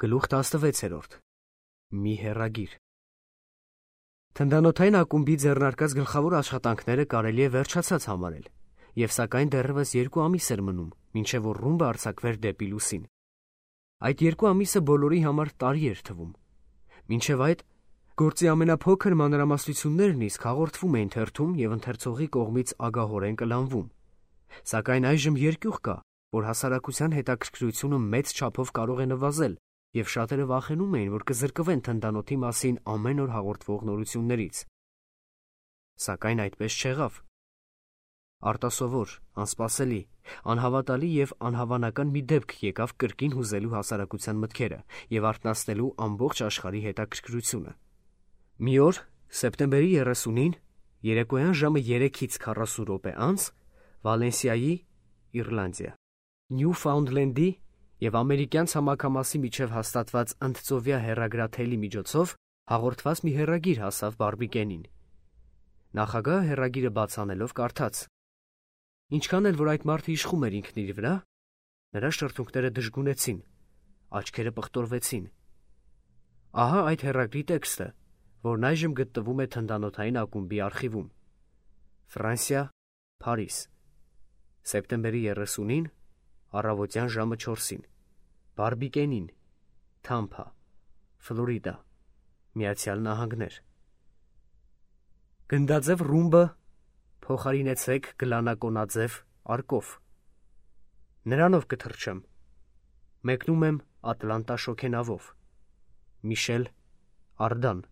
Գլուխ 16 Մի հեռագիր Թնդանոթային ակումբի ձեռնարկած գլխավոր աշխատանքները կարելի է վերջացած համարել, և սակայն դեռևս 2 ամիս էր մնում, մինչև որ ռումբը արձակվեր դեպի լուսին։ Այդ 2 ամիսը բոլորի համար տարի էր թվում։ Մինչև այդ գործի ամենափոքր մանրամասնություններն իսկ հաղորդվում էին թերթում և ընթերցողի կողմից ագահորեն կլանվում։ Սակայն այժմ երկյուղ կա, որ հասարակության հետաքրքրությունը մեծ չափով կարող է նվազել, և շատերը վախենում էին, որ կզրկվեն թնդանոթի մասին ամեն օր հաղորդվող նորություններից։ Սակայն այդպես չեղավ։ Արտասովոր, անսպասելի, անհավատալի և անհավանական մի դեպք եկավ կրկին հուզելու հասարակության մտքերը և արթնացնելու ամբողջ աշխարհի հետաքրքրությունը։ Մի օր, սեպտեմբերի 30-ին, երեկոյան ժամը 3:40 անց, Վալենսիայի, Իռլանդիա, Նյուֆաունդլենդի և ամերիկյան ցամաքամասի միջև հաստատված ընդծովյա հեռագրաթելի միջոցով հաղորդված մի հեռագիր հասավ Բարբիկենին։ Նախագահը հեռագիրը բաց անելով կարդաց. Ինչքան էլ որ այդ մարդը իշխում էր ինքն իր վրա, նրա շրթունքները դժգունեցին, աչքերը պղտորվեցին։ Ահա այդ հեռագրի տեքստը, որն այժմ գտնվում է թնդանոթային ակումբի արխիվում։ Ֆրանսիա, Փարիզ, սեպտեմբերի 30-ին, առավոտյան ժամը 4-ին, Բարբիկենին, Թամփա, Ֆլորիդա, Միացյալ Նահանգներ։ Գնդաձև ռումբը փոխարինեցեք գլանակոնաձև արկով։ Նրանով կթռչեմ։ Մեկնում եմ Ատլանտա շոգենավով։ Միշել Արդան։